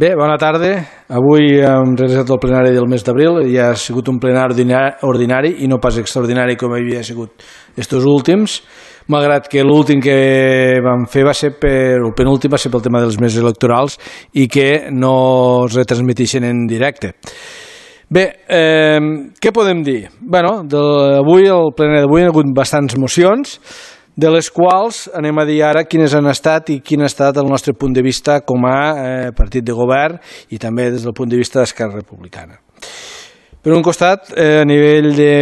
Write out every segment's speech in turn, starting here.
Bé, bona tarda. Avui hem realitzat el plenari del mes d'abril. Ja ha sigut un plenari ordinari i no pas extraordinari com havia sigut estos últims, malgrat que l'últim que vam fer va ser el penúltim va ser pel tema dels mesos electorals i que no es retransmeteixen en directe. Bé, què podem dir? Bé, avui, el plenari d'avui, hi ha hagut bastants mocions, de les quals anem a dir ara quines han estat i quin ha estat el nostre punt de vista com a partit de govern i també des del punt de vista d'Esquerra Republicana. Per un costat, a nivell de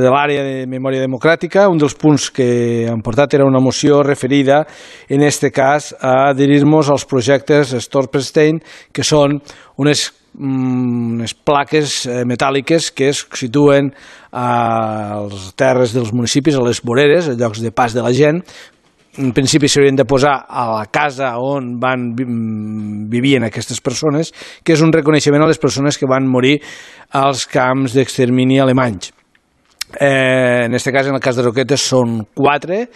l'àrea de memòria democràtica, un dels punts que han portat era una moció referida, en aquest cas, a adherir-nos als projectes Stolperstein, que són unes plaques metàl·liques que es situen a les terres dels municipis, a les voreres, a llocs de pas de la gent. En principi s'haurien de posar a la casa on vivien aquestes persones, que és un reconeixement a les persones que van morir als camps d'extermini alemanys. En aquest cas, en el cas de Roquetes, són 4,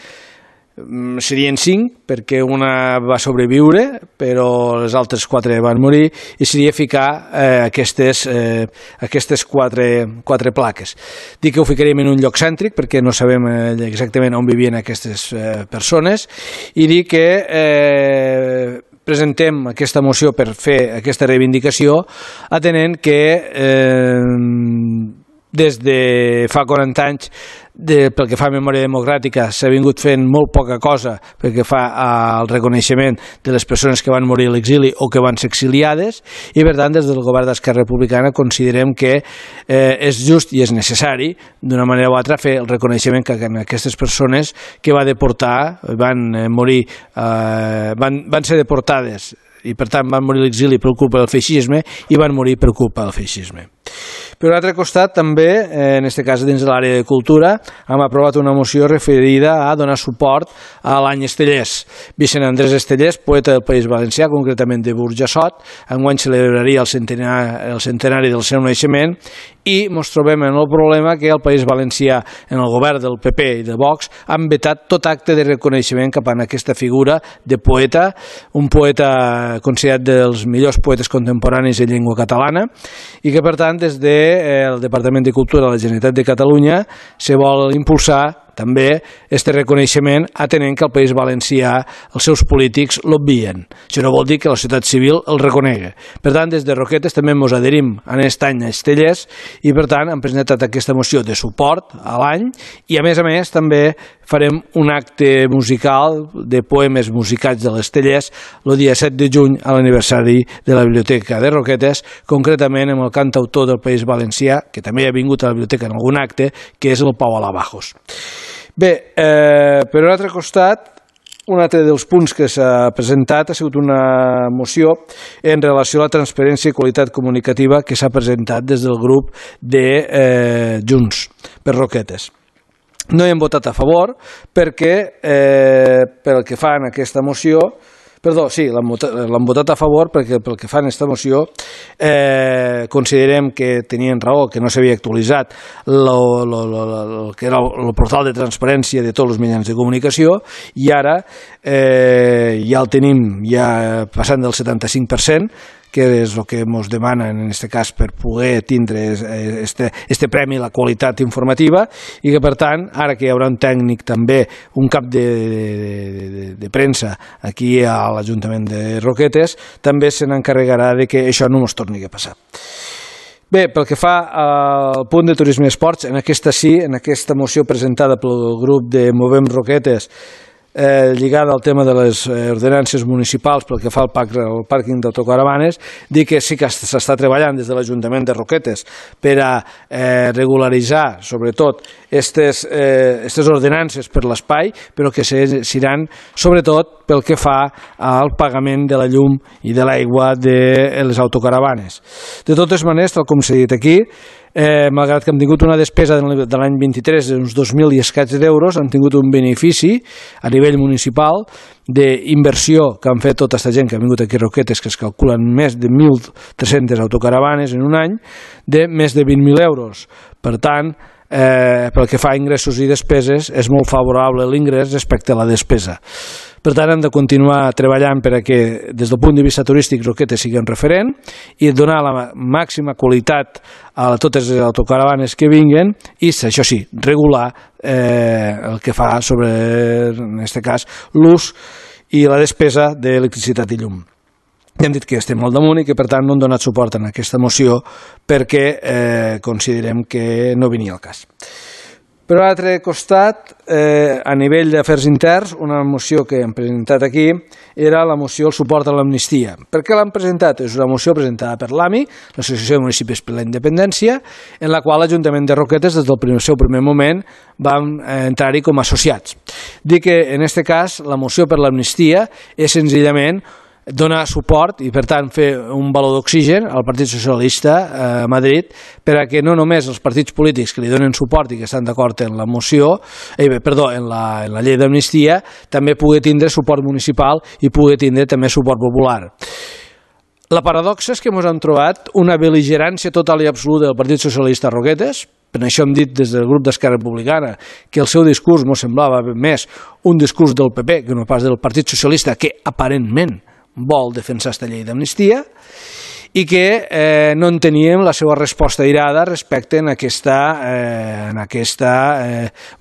serien 5 perquè una va sobreviure però les altres 4 van morir i seria ficar aquestes 4 plaques. Dic que ho ficaríem en un lloc cèntric perquè no sabem exactament on vivien aquestes persones i dic que presentem aquesta moció per fer aquesta reivindicació atenent que des de fa 40 anys pel que fa a memòria democràtica s'ha vingut fent molt poca cosa pel que fa al reconeixement de les persones que van morir a l'exili o que van ser exiliades i per tant des del govern d'Esquerra Republicana considerem que és just i és necessari d'una manera o altra fer el reconeixement que aquestes persones que van deportar van ser deportades i per tant van morir a l'exili per culpa del feixisme i van morir per culpa del feixisme. Per un altre costat, també, en aquest cas dins de l'àrea de cultura, hem aprovat una moció referida a donar suport a l'any Estellés. Vicent Andrés Estellés, poeta del País Valencià, concretament de Burjassot, enguany celebraria el centenari del seu naixement i ens trobem en el problema que el País Valencià, en el govern del PP i de Vox, han vetat tot acte de reconeixement cap a aquesta figura de poeta, un poeta considerat dels millors poetes contemporanis en llengua catalana i que, per tant, des del Departament de Cultura de la Generalitat de Catalunya se vol impulsar també aquest reconeixement atenent que el País Valencià els seus polítics l'obvien. Això no vol dir que la societat civil el reconegui. Per tant, des de Roquetes també ens adherim a aquest any a Estellés i per tant hem presentat aquesta moció de suport a l'any i a més també farem un acte musical de poemes musicats de l'Estellés el dia 7 de juny a l'aniversari de la Biblioteca de Roquetes, concretament amb el cantautor del País Valencià, que també ha vingut a la biblioteca en algun acte, que és el Pau Alabajos. Bé, per un altre costat, un altre dels punts que s'ha presentat ha sigut una moció en relació a la transparència i qualitat comunicativa que s'ha presentat des del grup de Junts per Roquetes. No hi hem votat a favor perquè, pel que fa en aquesta moció, l'han votat a favor perquè pel que fa en aquesta moció considerem que tenien raó, que no s'havia actualitzat el que era el portal de transparència de tots els mitjans de comunicació i ara ja el tenim passant del 75%, que és el que ens demanen en aquest cas per poder tindre este premi a la qualitat informativa i que per tant, ara que hi haurà un tècnic també, un cap de premsa aquí a l'Ajuntament de Roquetes, també se n'encarregarà de que això no ens torni a passar. Bé, pel que fa al punt de turisme i esports, en aquesta moció presentada pel grup de Movem Roquetes lligada al tema de les ordenances municipals pel que fa al pàrquing d'autocaravanes, dir que sí que s'està treballant des de l'Ajuntament de Roquetes per a regularitzar, sobretot, aquestes ordenances per l'espai, però que seran, sobretot, pel que fa al pagament de la llum i de l'aigua de les autocaravanes. De totes maneres, tal com s'ha dit aquí, malgrat que hem tingut una despesa de l'any 23 d'uns 2.000 i escaig d'euros, han tingut un benefici a nivell municipal d'inversió que han fet tota aquesta gent que ha vingut aquí a Roquetes, que es calculen més de 1.300 autocaravanes en un any, de més de 20.000 euros. Per tant, pel que fa a ingressos i despeses, és molt favorable l'ingrés respecte a la despesa. Per tant, hem de continuar treballant perquè, des del punt de vista turístic, Roquetes sigui un referent i donar la màxima qualitat a totes les autocaravanes que vinguen i, això sí, regular el que fa sobre, en aquest cas, l'ús i la despesa d'electricitat i llum. Hem dit que estem al damunt i que, per tant, no hem donat suport a aquesta moció perquè considerem que no venia al cas. Per l'altre costat, a nivell d'afers interns, una moció que hem presentat aquí era la moció al suport a l'amnistia. Per què l'hem presentat? És una moció presentada per l'AMI, l'Associació de Municipis per la Independència, en la qual l'Ajuntament de Roquetes, des del seu primer moment, vam entrar-hi com a associats. Dic que, en aquest cas, la moció per l'amnistia és senzillament donar suport i, per tant, fer un baló d'oxigen al Partit Socialista a Madrid per a que no només els partits polítics que li donen suport i que estan d'acord en la moció, en la llei d'amnistia, també pugui tindre suport municipal i pugui tindre també suport popular. La paradoxa és que ens hem trobat una bel·ligerància total i absoluta del Partit Socialista a Roquetes. Per això hem dit des del grup d'Esquerra Republicana que el seu discurs ens semblava més un discurs del PP que no pas del Partit Socialista, que aparentment vol defensar aquesta llei d'amnistia, i que no enteníem la seva resposta airada respecte a aquesta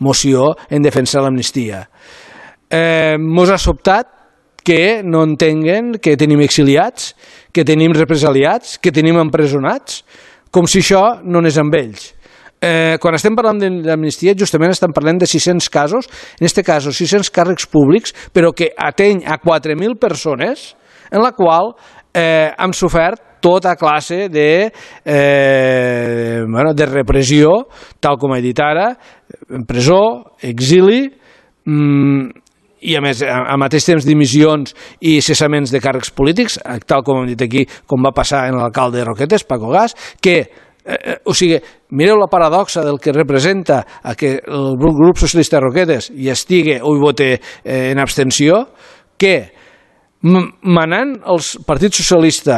moció en defensa de l'amnistia. Mos ha sobtat que no entenguen que tenim exiliats, que tenim represaliats, que tenim empresonats, com si això no anés amb ells. Quan estem parlant d'amnistia, justament estem parlant de 600 casos, en aquest cas 600 càrrecs públics, però que ateny a 4.000 persones, en la qual hem sofert tota classe de repressió, tal com he dit ara, presó, exili, i a més, al mateix temps, dimissions i cessaments de càrrecs polítics, tal com hem dit aquí, com va passar en l'alcalde de Roquetes, Paco Gas, que o sigui, mireu la paradoxa del que representa que el grup socialista de Roquetes hi estigui o hi vote en abstenció, que manant el Partit Socialista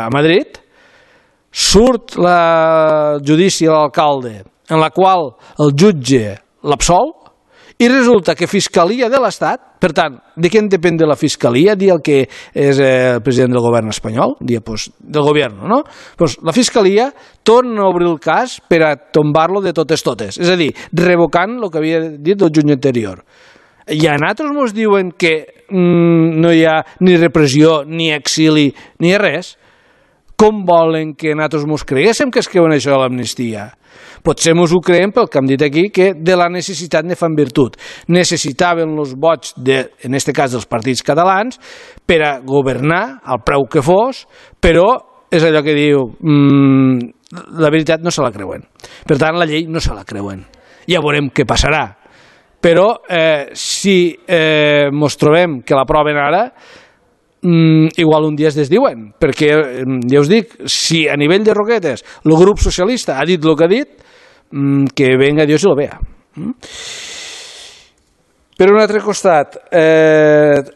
a Madrid surt el judici a l'alcalde en la qual el jutge l'absol i resulta que Fiscalia de l'Estat, per tant, de què en depèn de la Fiscalia? Dir el que és el president del govern espanyol, dir, pues, del govern, no? Pues la Fiscalia torna a obrir el cas per a tombar-lo de totes, és a dir, revocant el que havia dit el juny anterior. I a nosaltres ens diuen que no hi ha ni repressió, ni exili, ni res. Com volen que nosaltres ens creguéssim que es creuen això de l'amnistia? Potser ens ho creiem pel que hem dit aquí, que de la necessitat ne fan virtut. Necessitaven els vots, en aquest cas dels partits catalans, per a governar al preu que fos, però és allò que diu, la veritat no se la creuen. Per tant, la llei no se la creuen. Ja veurem què passarà. Però si ens trobem que l'aproven ara, igual un dia es desdiuen, perquè ja us dic, si a nivell de Roquetes el grup socialista ha dit el que ha dit, que venga Dios y lo vea. Per un altre costat,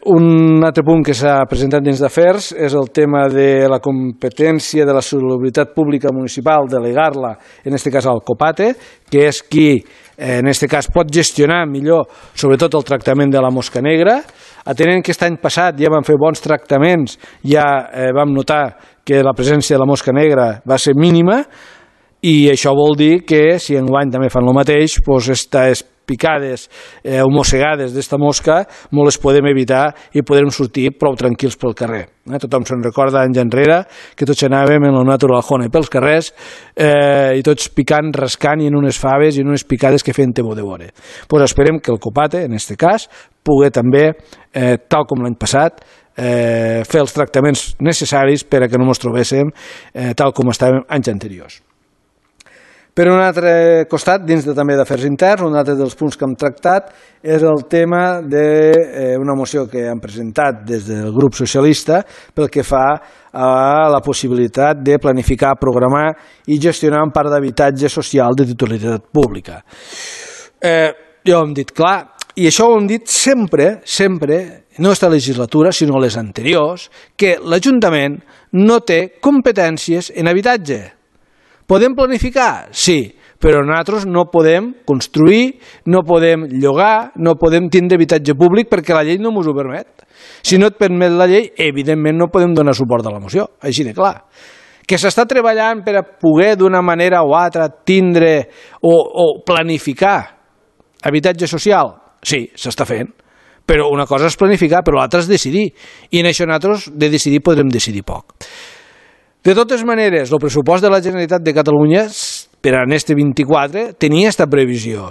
un altre punt que s'ha presentat dins d'afers és el tema de la competència de la salubritat pública municipal, delegar-la, en aquest cas al COPATE, que és qui, en aquest cas, pot gestionar millor, sobretot el tractament de la mosca negra. Atenent que aquest any passat ja vam fer bons tractaments, ja vam notar que la presència de la mosca negra va ser mínima, i això vol dir que si enguany també fan el mateix, doncs aquestes picades o mossegades d'esta mosca no les podem evitar i podrem sortir prou tranquils pel carrer. Tothom se'n recorda anys enrere que tots anàvem en el natural honey pels carrers i tots picant, rascant i en unes faves i en unes picades que feien temor de veure. Doncs esperem que el COPATE, en aquest cas, pugui també, tal com l'any passat, fer els tractaments necessaris per a que no ens trobéssim tal com estàvem anys anteriors. Per un altre costat, dins també d'afers interns, un altre dels punts que hem tractat és el tema d'una moció que hem presentat des del grup socialista pel que fa a la possibilitat de planificar, programar i gestionar un parc d'habitatge social de titularitat pública. Ja ho hem dit clar, i això ho hem dit sempre, no aquesta legislatura, sinó les anteriors, que l'Ajuntament no té competències en habitatge. Podem planificar? Sí, però nosaltres no podem construir, no podem llogar, no podem tindre habitatge públic perquè la llei no ens ho permet. Si no et permet la llei, evidentment no podem donar suport a la moció, així de clar. Que s'està treballant per a poder d'una manera o altra tindre o planificar habitatge social? Sí, s'està fent. Però una cosa és planificar, però l'altra és decidir. I en això nosaltres de decidir podrem decidir poc. De totes maneres, el pressupost de la Generalitat de Catalunya per a este 24 tenia aquesta previsió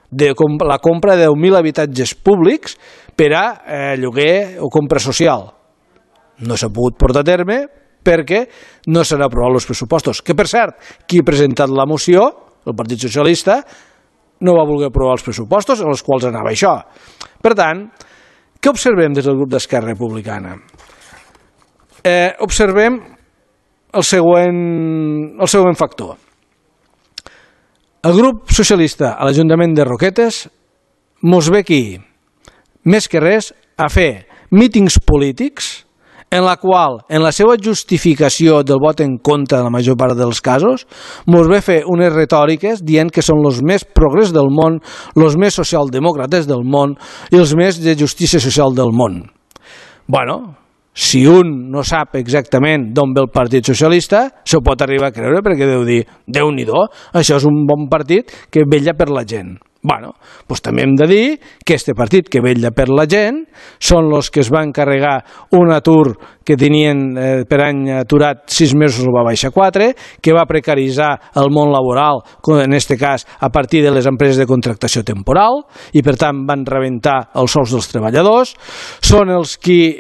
de la compra de 10.000 habitatges públics per a lloguer o compra social. No s'ha pogut portar a terme perquè no s'han aprovat els pressupostos. Que, per cert, qui ha presentat la moció, el Partit Socialista, no va voler aprovar els pressupostos en els quals anava això. Per tant, què observem des del grup d'Esquerra Republicana? Observem el següent factor. El grup socialista a l'Ajuntament de Roquetes mos ve aquí, més que res, a fer mítings polítics en la qual, en la seva justificació del vot en contra de la major part dels casos, mos ve fer unes retòriques dient que són els més progrés del món, els més socialdemòcrates del món i els més de justícia social del món. Bueno, si un no sap exactament d'on ve el Partit Socialista, s'ho pot arribar a creure perquè deu dir, Déu-n'hi-do, això és un bon partit que vetlla per la gent. Bueno, doncs també hem de dir que este partit que vetlla per la gent són els que es van carregar un atur que tenien per any aturat 6 mesos, el va baixar 4, que va precaritzar el món laboral, en aquest cas a partir de les empreses de contractació temporal, i per tant van rebentar els sous dels treballadors. Són els qui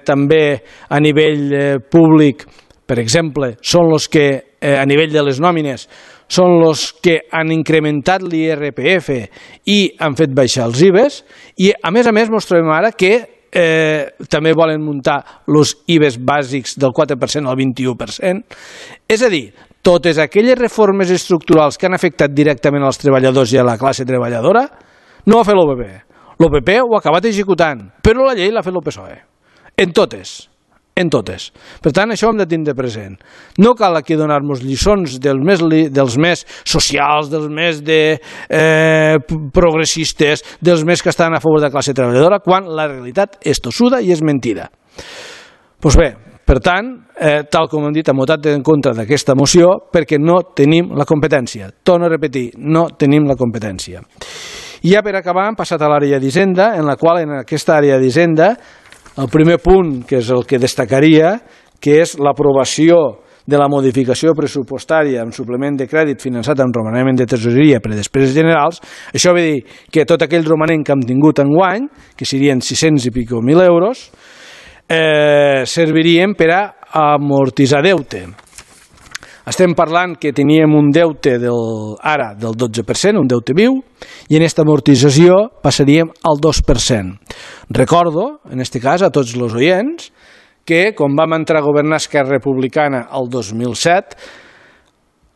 també a nivell públic, per exemple, són els que a nivell de les nòmines són els que han incrementat l'IRPF i han fet baixar els IVAs, i a més ens trobem ara que també volen muntar els IVAs bàsics del 4% al 21%. És a dir, totes aquelles reformes estructurals que han afectat directament als treballadors i a la classe treballadora no ho ha fet l'OPP. L'OPP ho ha acabat executant, però la llei l'ha fet el PSOE. En totes. Per tant, això ho hem de tindre present. No cal aquí donar-nos lliçons dels més socials, dels més progressistes, dels més que estan a favor de la classe treballadora, quan la realitat és tossuda i és mentida. Doncs bé, per tant, tal com hem dit, hem votat en contra d'aquesta moció perquè no tenim la competència. Torno a repetir, no tenim la competència. I ja per acabar hem passat a l'àrea d'Hisenda, en la qual en aquesta àrea d'Hisenda el primer punt, que és el que destacaria, que és l'aprovació de la modificació pressupostària amb suplement de crèdit finançat amb romanent de tresoreria per a despeses generals. Això vol dir que tot aquell romanent que hem tingut enguany, que serien 600 i pico mil euros, servirien per a amortitzar deute. Estem parlant que teníem un deute ara del 12%, un deute viu, i en aquesta amortització passaríem al 2%. Recordo, en aquest cas, a tots els oients, que quan vam entrar a governar Esquerra Republicana el 2007,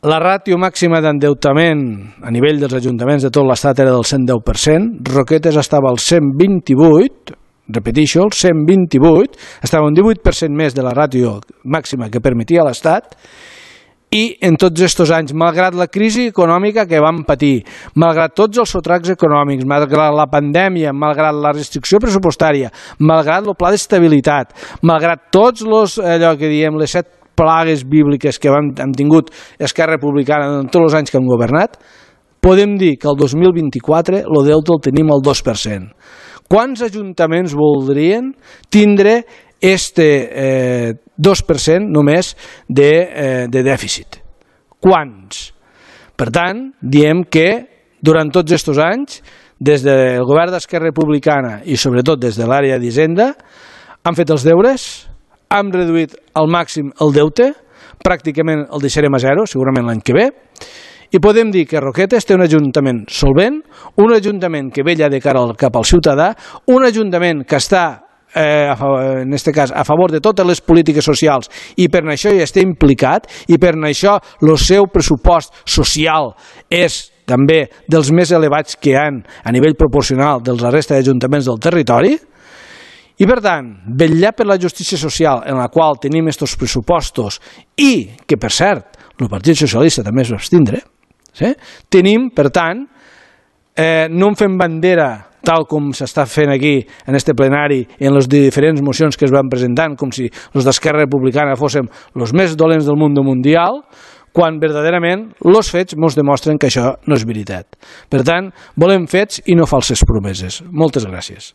la ràtio màxima d'endeutament a nivell dels ajuntaments de tot l'estat era del 110%, Roquetes estava al 128%, repeteixo, el 128%, estava un 18% més de la ràtio màxima que permetia l'Estat. I en tots aquests anys, malgrat la crisi econòmica que vam patir, malgrat tots els sotracs econòmics, malgrat la pandèmia, malgrat la restricció pressupostària, malgrat el pla d'estabilitat, malgrat tots allò que diem les 7 plagues bíbliques que hem tingut Esquerra Republicana en tots els anys que hem governat, podem dir que el 2024 el deute el tenim al 2%. Quants ajuntaments voldrien tindre este 2% només de dèficit? Quants? Per tant, diem que durant tots aquests anys, des del govern d'Esquerra Republicana i sobretot des de l'àrea d'Hisenda, han fet els deures, han reduït al màxim el deute, pràcticament el deixarem a zero, segurament l'any que ve, i podem dir que Roquetes té un ajuntament solvent, un ajuntament que vetlla de cara cap al ciutadà, un ajuntament que està en aquest cas a favor de totes les polítiques socials i per això hi està implicat i per això el seu pressupost social és també dels més elevats que hi ha a nivell proporcional dels resta d'ajuntaments del territori. I per tant, vetllar per la justícia social en la qual tenim aquests pressupostos i que per cert el Partit Socialista també es va abstindre, Tenim, per tant, no en fem bandera tal com s'està fent aquí en este plenari i en les diferents mocions que es van presentant, com si els d'Esquerra Republicana fóssim els més dolents del món mundial, quan verdaderament els fets ens demostren que això no és veritat. Per tant, volem fets i no falses promeses. Moltes gràcies.